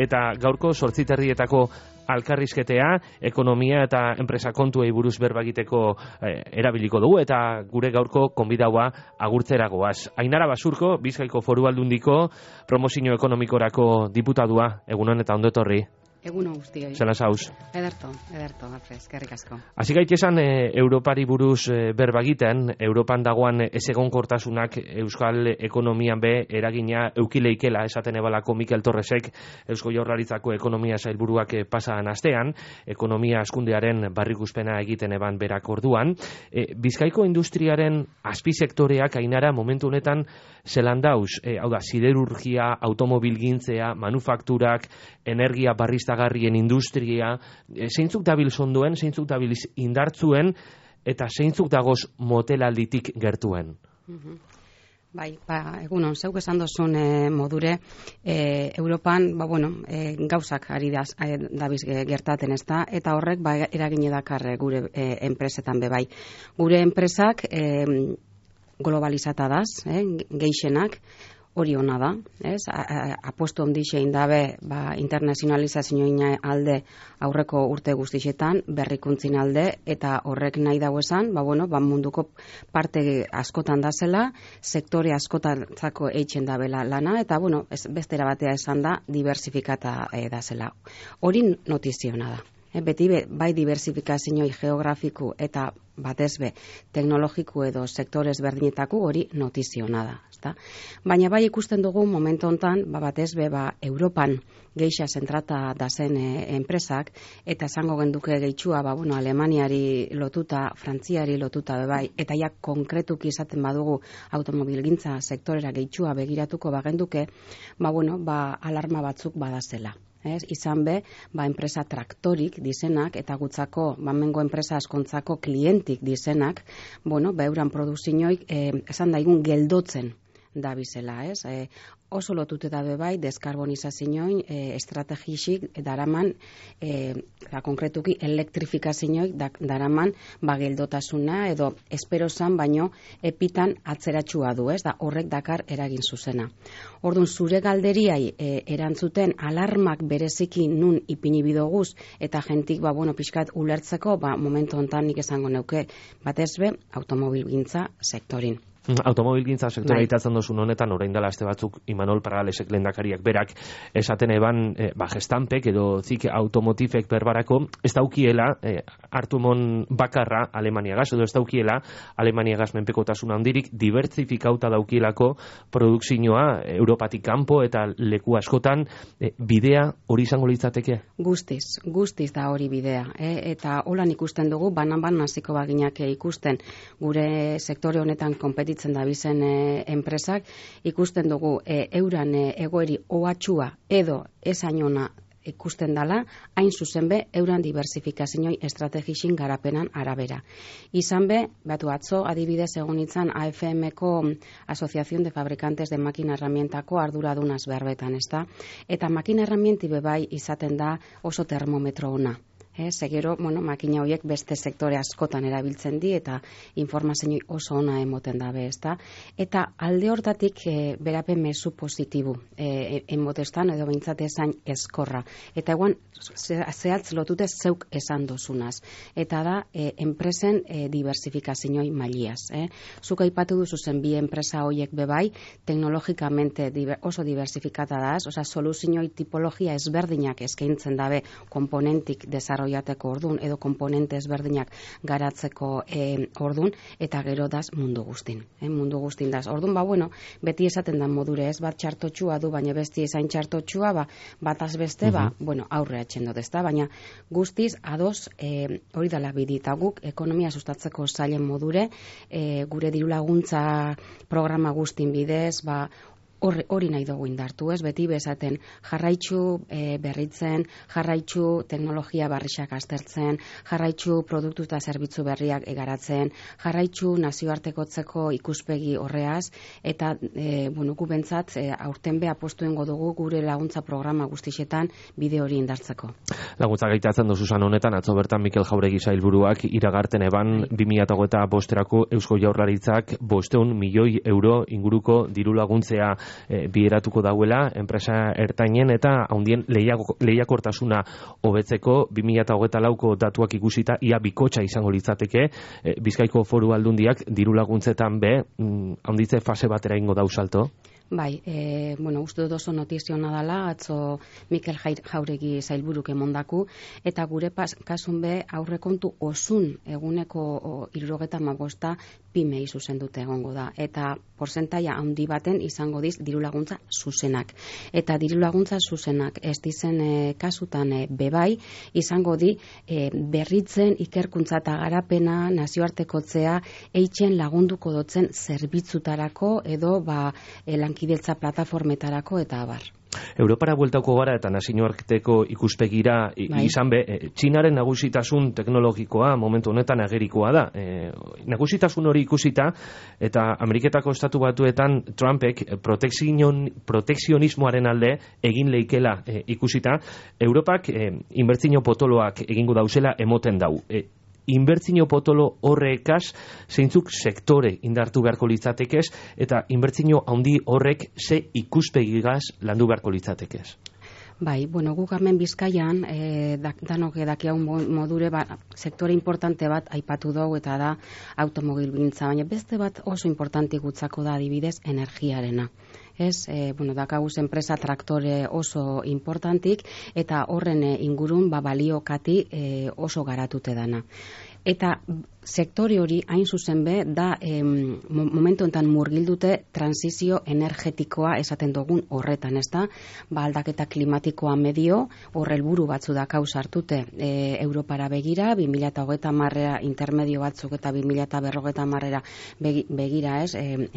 eta gaurko 8:30 alkarrizketea, ekonomia eta enpresa kontuei buruz berba egiteko erabiliko dugu, eta gure gaurko konbidaua agurtzera goaz. Ainara Basurko, Bizkaiko Foru Aldundiko promozio ekonomikorako diputadua, egunon eta ondo etorri. Egunon guztioi. Zelan zauz? Ederto, Alfred, eskerrik asko. Hasi gaitesan Europari buruz berba egiten, Europan dagoan ezegonkortasunak euskal ekonomian be eragina eukileikela esaten ebalako Mikel Torresek, Eusko Jaurlaritzako ekonomia sailburuak pasan astean, ekonomia askundearen barrikuspena egiten eban berak orduan. Bizkaiko industriaren azpisektoreak, Ainara, momentu honetan zelan dauz, hau da, siderurgia, automobilgintzea, manufakturak, energia barriztagarrien industria, zeintzuk dabil sonduen, zeintzuk dabil indartzuen, eta zeintzuk dagoz motelalditik gertuen? Bai, egunon, zeuk esan dozun modure, Europan, gauzak ari dabiz gertaten ez da, eta horrek eragine dakar gure enpresetan bebai. Gure enpresak globalizata daz, geixenak, hori hona da, apostu ondixein dabe internazionalizazioa alde aurreko urte guztixetan, berrikuntzin alde, eta horrek nahi dago esan, munduko parte askotan da zela, sektore askotantzako eitzen dabela lana, eta bestera batea esan da, diversifikata da zela. Hori notiziona da. Beti bai diversifikazio geografiku eta batezbe teknologiku edo sektores berdinetako hori notiziona da. Baina bai ikusten dugu momentu hontan batezbe Europan geixa zentrata da zen enpresak, eta esango genduke gehitxua Alemaniari lotuta, Frantziari lotuta bai, eta ja konkretuki izaten badugu automobilgintza sektorera gehitxua begiratuko bagenduke, alarma batzuk badazela. Izan be, enpresa traktorik dizenak, eta gutzako, mengo enpresa askontzako klientik dizenak, euran produzioik, esan daigun geldotzen da bizela, oso lotute dabe bai, deskarbonizazioin, estrategixik daraman, konkretuki elektrifikazioik daraman geldotasuna, edo espero zan, baino epitan atzeratxua du, da horrek dakar eragin zuzena. Orduan, zure galderiai erantzuten alarmak bereziki nun ipini bidoguz, eta jentik, pixkat ulertzeko, momentu hontan nik esango neuke, batezbe, automobilgintza sektorin. Automobilgintza sektora itatzen dozun honetan, orain dela aste batzuk Imanol Paralesek lehendakariak berak esaten eban gestanpek edo zik automotifek berbarako ez daukiela hartumon bakarra Alemaniagaz, edo ez daukiela Alemaniagaz menpekotasuna handirik dibertsifikauta daukielako produkzioa Europatik kanpo eta leku askotan, bidea hori izango litzateke? Guztiz da hori bidea, eta holan ikusten dugu, banan hasiko baginak ikusten gure sektore honetan konpetitzen da bizen enpresak, ikusten dugu euran egoeri ohatxua edo esainona ikusten dala, hain zuzen be, euran diversifikazioi estrategixin garapenan arabera. Izan be, atzo adibidez egon itzan AFM-ko Asociación de Fabricantes de Makina Herramientako arduradunaz berbetan, eta makina herramienti bebai izaten da oso termometro ona. Segero, makina horiek beste sektore askotan erabiltzen di, eta informazio oso ona emoten dabe, eta alde hortatik berapen mezu positibu emotestan, edo behintzate esan eskorra, eta eguan zehatz lotute zeuk esan dozunaz, eta da enpresen diversifikazioi mailiaz. Zuk aipatu duzu zen bi enpresa horiek bebai, teknologikamente oso diversifikata daz, soluzioi tipologia ezberdinak eskaintzen dabe komponentik desarrollateko ordun, edo komponente ezberdinak garatzeko ordun, eta gero daz mundu guztin. Mundu guztin daz. Ordun, beti esaten da modure ez, bat txartotxua du, baina besti ezain txartotxua, bataz beste, aurre atxendo dezta, baina guztiz ados hori dala bidita guk, ekonomia sustatzeko zailen modure, gure diru laguntza programa guztin bidez, hori nahi dugu indartu, ez? Beti bezaten jarraitzu berritzen, jarraitzu teknologia barrixak aztertzen, jarraitzu produktu eta zerbitzu berriak egaratzen, jarraitzu nazioartekotzeko ikuspegi horreaz, eta gu bentsat aurten be apostuengo dugu gure laguntza programa guztixetan bide hori indartzeko. Laguntza gaitatzen dozuzan honetan, atzo bertan Mikel Jauregi sailburuak iragarten eban 2025 Eusko Jaurlaritzak 500 milioi euro inguruko diru laguntzea bideratuko dauela enpresa ertainen eta handien lehiakortasuna hobetzeko 2024ko datuak ikusita ia bikotxa izango litzateke Bizkaiko Foru Aldundiak diru laguntzetan handitze fase batera ingo dau salto. Bai, uste dut oso notizio nadala, atzo Mikel Jauregi sailburuk emondaku, eta gure kasun be aurrekontu osun eguneko 75 PYMEI zuzendute egongo da. Eta porzentaia handi baten izango diz diru laguntza zuzenak. Eta diru laguntza zuzenak ez dizen kasutan bebai izango di berritzen ikerkuntza eta garapena nazioartekotzea eitzen lagunduko dotzen zerbitzutarako edo lankidetza plataformetarako eta abar. Europara bueltauko gara eta nazioarteko ikuspegira izan Txinaren nagusitasun teknologikoa momentu honetan agerikoa da. Nagusitasun hori ikusita eta Ameriketako Estatu Batuetan Trumpek protekzionismoaren alde egin leikela ikusita, Europak inbertsio potoloak egingo dauzela emoten dau. Inbertsio potolo horrekaz zeintzuk sektore indartu beharko litzatekez eta inbertsio handi horrek ze ikuspegigaz landu beharko litzatekez. Bai, guk hemen Bizkaian, danok dakiagun modure sektore importante bat aipatu dugu eta da automobilgintza, baina beste bat oso importante gutzako da adibidez energiarena. Dakaguz enpresa traktore oso importantik eta horren ingurun balio kati oso garatute dana. Eta sektore hori hain zuzen be da momentu enten murgildute transizio energetikoa esaten dugun horretan, ez da? Aldaketa klimatikoa medio, horre helburu batzu da kausartute Europara begira, 2030 intermedio batzuk eta 2050 begira,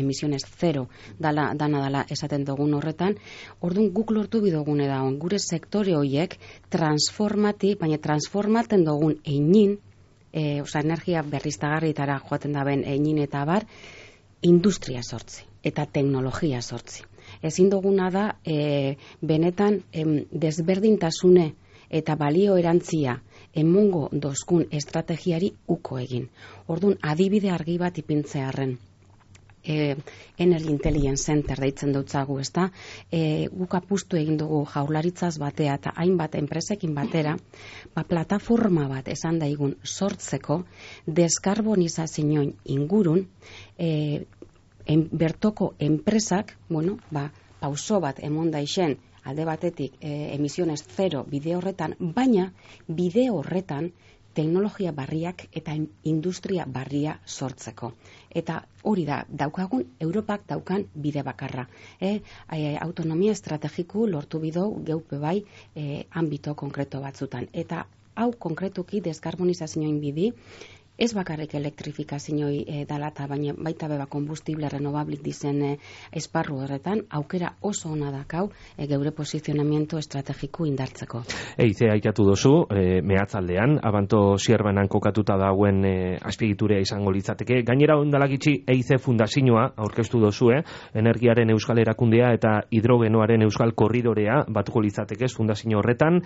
emisiones zero dana esaten dugun horretan. Orduan guk lortu bidogune da gure sektore horiek baina transformaten dugun einin, energia berriztagarrietara joaten daben einin eta bar, industria sortzi eta teknologia sortzi. Ezin duguna da benetan desberdintasune eta balio erantzia emongo dozkun estrategiari uko egin. Orduan adibide argi bat ipintzearren. Energy Intelligence Center deitzen dutzagu, ezta? Guk apustu egin dugu Jaurlaritzaz batea eta hainbat enpresekin batera, plataforma bat esan daigun sortzeko deskarbonizazioen ingurun bertoko enpresak, pauso bat emon daixen alde batetik emisiones zero bide horretan, baina bide horretan teknologia barriak eta industria barria sortzeko. Eta hori da, daukagun Europak daukan bide bakarra. Autonomia estrategiku lortu bidou geupe bai ambito konkreto batzutan. Eta hau konkretuki deskarbonizazioen bidi, ez bakarrik elektrifikazioi dalata, baina baita beba kombustible renovablik dizen esparru horretan, aukera oso ona dakau geure posizionamiento estrategiku indartzeko. Eize aikatu dozu, mehatzaldean, abanto zierbanan kokatuta dauen azpiegiturea izango litzateke. Gainera ondalakitzi Eize fundazioa aurkeztu dozu, energiaren euskal erakundea eta hidrogenoaren euskal korridorea batuko litzatekez fundazio horretan.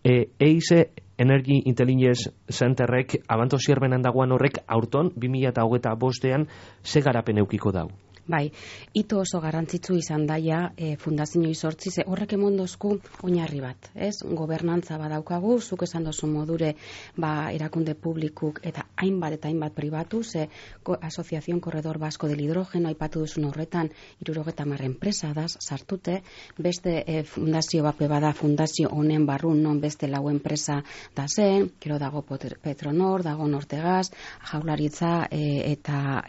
Eize Energy Intelligence Centerrek abanto zierbenan dagoan horrek aurton 2025ean ze garapen eukiko dau? Bai, ito oso garrantzitsu izan daia fundazioi sortzi, horrek emondozku oinarri bat, ez? Gobernantza badaukagu, zuk esan dozu modure erakunde publikuk eta hainbat pribatu, Asociación Corredor Vasco del Hidrógeno aipatu duzun horretan 70 enpresa daz sartute, beste fundazio bat bada fundazio honen barrun non beste 4 enpresa da zen, gero dago Petronor, dago Nortegas, Jaurlaritza eta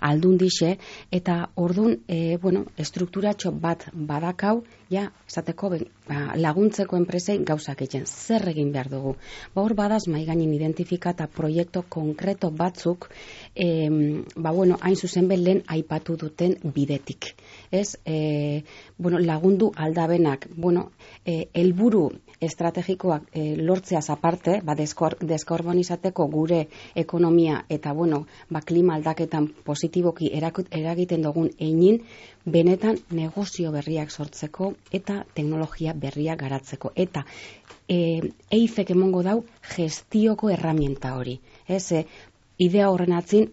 Aldundixe, eta ordun estrukturatxo bat badakau, esateko laguntzeko enpresei gauzak egin, zer egin behar dugu. Hor badaz maiganin identifikata proiektu konkreto batzuk, hain zuzen lehen aipatu duten bidetik. Lagundu aldabenak, helburu estrategikoak lortzeaz aparte, deskarbonizateko gure ekonomia eta klima aldaketan positiboki eragiten dugun einin, benetan negozio berriak sortzeko eta teknologia berriak garatzeko. Eta EIFek emongo dau gestioko herramienta hori. Idea horren atzin,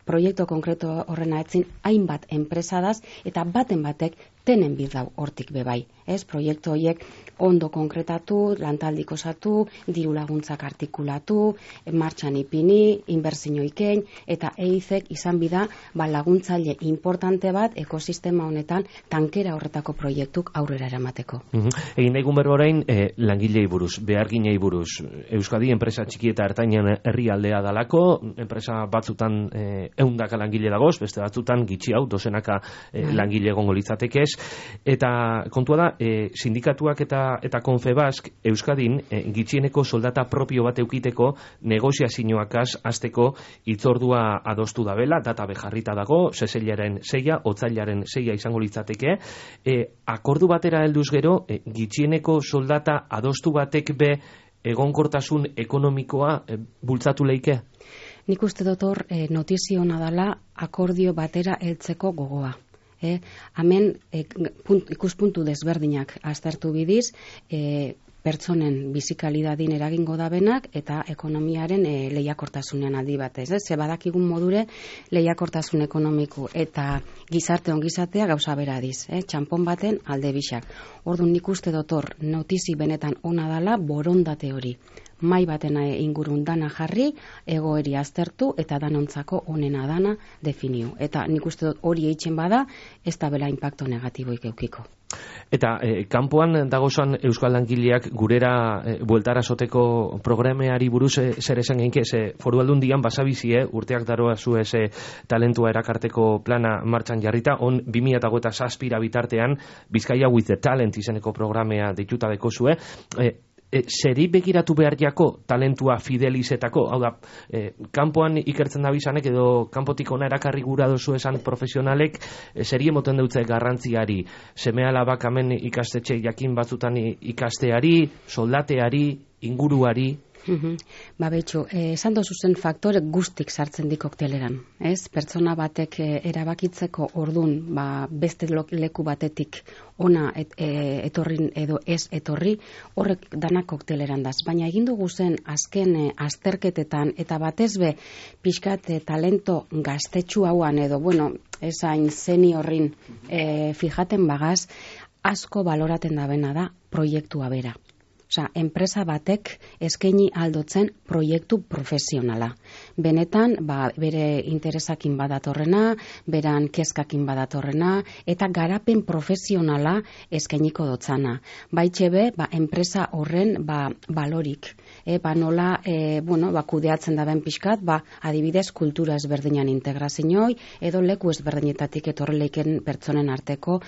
proiektu konkreto horren atzin, hainbat enpresadaz eta baten batek tenen bidau hortik bebai. Ez, proiektu horiek ondo konkretatu, lantaldik osatu, diru laguntzak artikulatu, martxan ipini, inbertsio ikein, eta EIZ-ek izan bida laguntzaile importante bat ekosistema honetan tankera horretako proiektuk aurrera eramateko. Egin daigun berba orain, langilei buruz, beharginei buruz. Euskadi enpresa txiki eta ertainen herrialdea dalako, enpresa batzutan 100 langile dagoz, beste batzutan gitxi hau, dozenaka langile egongo litzatekez, eta kontua da, sindikatuak eta Confebask Euskadin gitxieneko soldata propio bat eukiteko negoziazioakaz hasteko hitzordua adostu dabela, data bejarrita dago, seseilaren 6, otzailaren 6 izango litzateke, akordu batera helduz gero, gitxieneko soldata adostu batek be egonkortasun ekonomikoa bultzatu leike? Nik uste dut hor notizio ona dela akordio batera heltzeko gogoa. Hemen ikuspuntu desberdinak aztertu bidiz, pertsonen bizikalidadin eragingo dabenak eta ekonomiaren lehiakortasunean aldi batez. Ze badakigun modure lehiakortasun ekonomiku eta gizarte ongizatea gauza bera diz. Txanpon baten alde bisak. Orduan nik uste dut hor notizi benetan ona dala borondate hori. Mai baten ingurun dana jarri, egoeri aztertu eta danontzako onena dana definiu. Eta nik uste dut hori eitzen bada, ez da bela impacto negatiboik eukiko. Eta kanpoan dagozan euskal langileak gurera bueltara soteko programeari buruz zer esan geinke, Foru Aldundian basabizie urteak daroa zu talentua erakarteko plana martxan jarrita, on 2007 bitartean Bizkaia with the Talent izeneko programea deituta dekozue. Zeri begiratu behar jako talentua fidelizetako, hau da, kanpoan ikertzen da bizanek edo kanpotik ona erakarri gura dozu esan profesionalek, zeri emoten dutze garrantziari, seme alabak hemen ikastetxe jakin batzutan ikasteari, soldateari, inguruari? Betxu, esan dozuzen faktore guztik sartzen di kokteleran. Pertsona batek erabakitzeko ordun beste leku batetik ona etorrin edo ez etorri, horrek danak kokteleran daz. Baina egin dugu zen azken azterketetan eta batez be pixkat talento gaztetxu hauan edo, esain zeni horrin fijaten bagaz, asko baloraten dabena da proiektua bera. Enpresa batek eskaini aldotzen proiektu profesionala. Benetan, bere interesakin badatorrena, beran kezkakin badatorrena, eta garapen profesionala eskainiko dotzana. Baitxebe, enpresa horren balorik. Nola, kudeatzen daben pixkat, adibidez, kultura ezberdinan integrazioi, edo leku ezberdinetatik etorreleken pertsonen arteko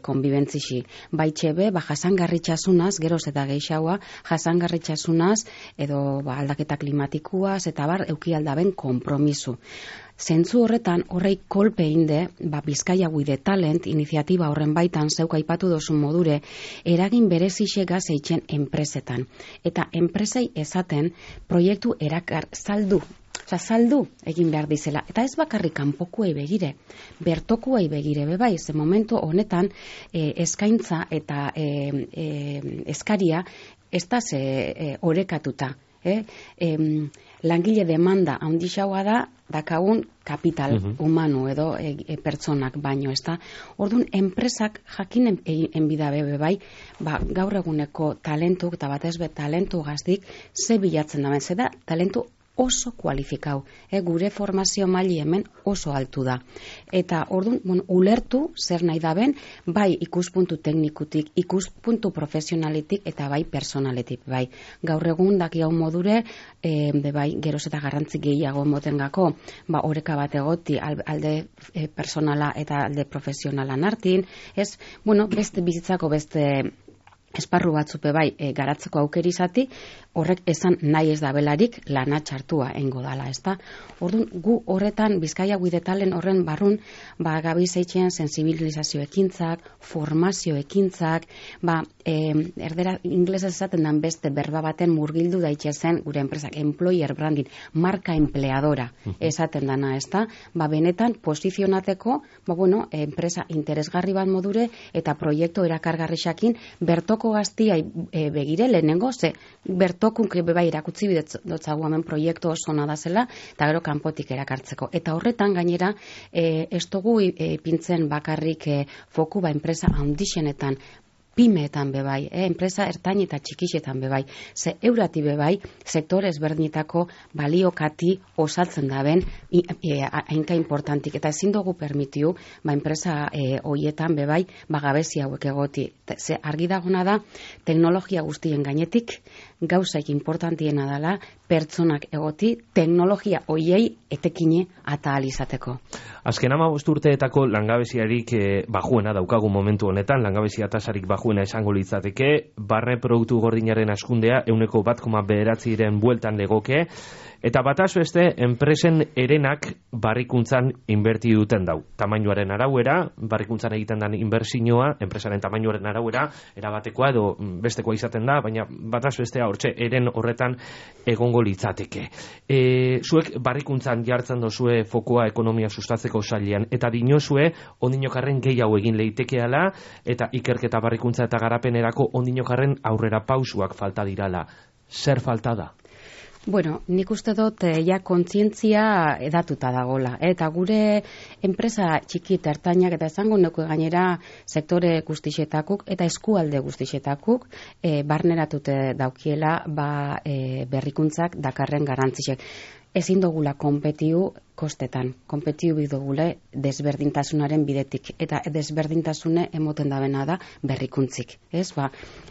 konbibentzixi. Baitxebe, jasangarritxasunaz, geroz eta geixau jasangarritxasunaz edo aldaketa klimatikuaz eta euki aldaben konpromisu. Zentzu horretan, horrei kolpe inde, Bizkaia with the Talent iniziatiba horren baitan zeuk aipatu dozun modure, eragin berezixe gaz eitzen enpresetan. Eta enpresei esaten proiektu erakar saldu egin behar dizela. Eta ez bakarrik kanpokuei begire, bertokuei begire bebai, ze momentu honetan eskaintza eta eskaria ez da orekatuta. Langile demanda handixaua da, dakagun kapital humano edo pertsonak baino, ez da. Orduan, enpresak jakinen enbidabe bebai, gaur eguneko talentuk eta batez be talentu gazdik ze bilatzen daben, ze da talentu oso kualifikau. Gure formazio maili hemen oso altu da. Eta orduan, ulertu zer nahi daben, bai ikuspuntu teknikutik, ikuspuntu profesionalitik eta bai personaletik. Gaur egun daki hau modure, geroz eta garrantzik gehiago motengako, oreka bat egoti alde personala eta alde profesionalan hartin, beste bizitzako beste esparru batzupe garatzeko aukeri izati, horrek esan nahi ez da belarik lana txartua engo dala, ez da? Orduan, gu horretan, Bizkaia with the Talent horren barrun, gabiz eitzen sensibilizazio ekintzak, formazio ekintzak, erdera inglesez esaten dan beste berba baten murgildu daitxezen gure enpresak, employer branding, marka empleadora esaten dana, ez da? Benetan, posizionateko, enpresa interesgarri bat modure eta proiektu erakargarrixakin berto bertoko gaztiai begire lehenengo, ze bertokunk bai erakutzi bidotzagu hemen proiektu oso ona da zela, eta gero kanpotik erakartzeko. Eta horretan gainera, ez dugu ipintzen bakarrik foku enpresa handixenetan, pymeetan bebai, enpresa ertain eta txikixetan bebai, ze eurati bebai, sektore ezberdinetako baliokati osatzen daben, hainka importantik, eta ezin dugu permitiu, enpresa hoietan bebai, gabezi hauek egoti. Ze argi dagona da, teknologia guztien gainetik, gauzaik importantiena dela, pertsonak egoti, teknologia hoiei etekine eta alizateko. Azken 15 urteetako langabeziarik bajuena daukagu momentu honetan, langabezia tasarik bajuena esango litzateke, barne produktu gordinaren askundea 1,9% bueltan legoke, eta bataz beste enpresen erenak barrikuntzan inberti duten dau. Tamainuaren arauera, barrikuntzan egiten den inbertsioa, enpresaren tamainuaren arauera, erabatekoa edo bestekoa izaten da, baina bataz bestea hortxe eren horretan egongo litzateke. Zuek barrikuntzan jartzen dozue fokoa ekonomia sustatzeko sailean, eta dinozue ondinokarren gehiago egin leitekeala, eta ikerketa barrikuntza eta garapenerako ondinokarren aurrera pausuak falta dirala. Zer falta da? Bueno, nik uste dut ja kontzientzia edatuta dagola. Eta gure enpresa txiki eta ertainak eta esango neko gainera sektore guztixetakuk eta eskualde guztixetakuk barneratute daukiela berrikuntzak dakarren garantzisek. Ezin dugula konpetiu kostetan, konpetiu bidugule desberdintasunaren bidetik, eta desberdintasune emoten dabena da berrikuntzik. Ez,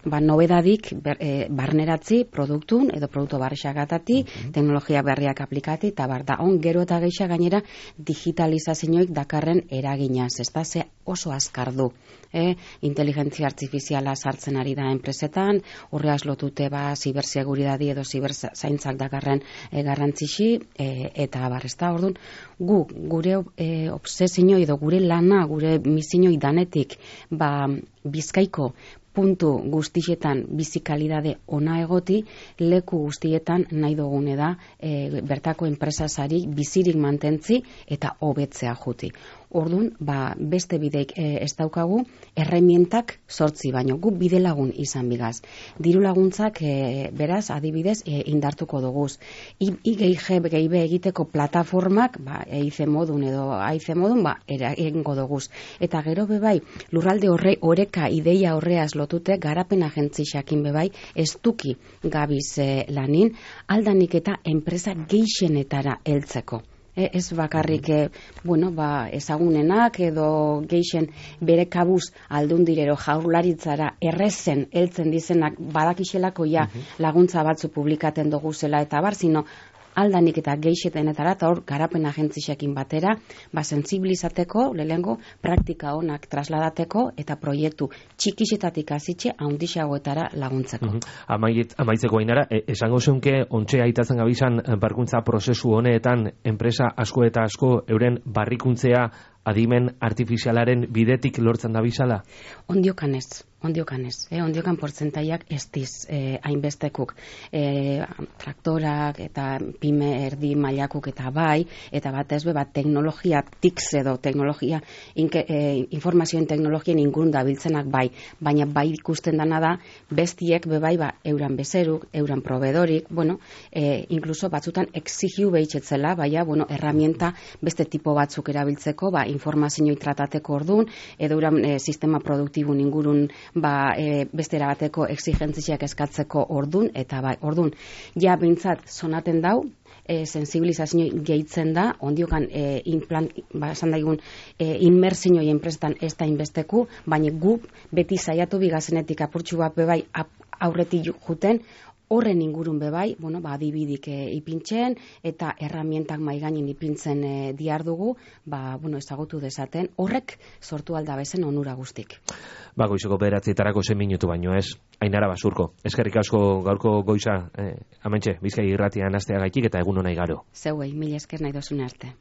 nobedadik barneratzi produktun, edo produktu barrixagatati, teknologia berriak aplikati, eta da gero eta geixa gainera digitalizazioik dakarren eraginaz, ez da, ze oso azkar du. Inteligentzia artifiziala sartzen ari da enpresetan, horreaz lotute ziberseguridadi edo ziberzaintzak dakarren garrantzixi, eta barrezta, orduan, gure obsesinoi edo gure lana, gure misinoi danetik, Bizkaiko puntu guztietan bizikalidade ona egoti, leku guztietan nahi dugune da bertako enpresasari bizirik mantentzi eta hobetzea juti. Orduan, beste bideik ez daukagu, erremientak sortzi, baino gu bide lagun izan bigaz. Diru laguntzak, beraz, adibidez, indartuko duguz. IG egiteko plataformak, EIC modun edo AIC modun, egingo duguz. Eta gero bebai, lurralde oreka ideia horreaz lotute, garapen agentzixakin bebai, ez duki gabiz lanin, aldanik eta enpresa geixenetara heltzeko. Ez bakarrik ezagunenak edo geixen bere kabuz aldundirero jaurlaritzara errezen heltzen dizenak badakixelako laguntza batzu publikaten dugu zela eta bar, zino aldanik eta geixetenetara eta hor garapen agentzixekin batera, sensibilizateko, lehengo praktika honak trasladateko eta proiektu txikixetatik azitxe handixagoetara laguntzeko. Amaitzeko Ainara, esango zeunke ontxe aitatzen gabizan barkuntza prozesu honeetan enpresa asko eta asko euren barrikuntzea adimen artifizialaren bidetik lortzen da bizala? Ondiokan portzentaiak ez diz hainbestekuk. Traktorak eta pyme erdi mailakuk eta eta batez teknologia TICS edo teknologia informazioen teknologien ingurun dabiltzenak baina ikusten dana da bestiek euran bezeruk, euran proveedorik, inkluso batzutan exigiu behitzetzela, herramienta beste tipo batzuk erabiltzeko, informazioi tratateko orduan, edo euran sistema produktibun ingurun beste erabateko exigentziak eskatzeko ordun, eta ordun, ja bintzat sonaten dau, sensibilizazio gehitzen da, ondiokan esan daigun inmersioi enpresetan ez da inbesteku, baina gu beti saiatu bigazenetik apurtxu bat bebai aurretik juten, horren ingurun bebai, adibidik ipintzen eta erramientak maigainin ipintzen diardugu, ezagutu dezaten, horrek sortu aldabezen onura guztik. Goizeko 9:00 zen minutu baino ez. Ainara Basurko, eskerrik asko gaurko goiza, hementxe, Bizkai irratian hasteagaitik eta egun ona igaro. Zeuei, mila esker nahi dozune arte.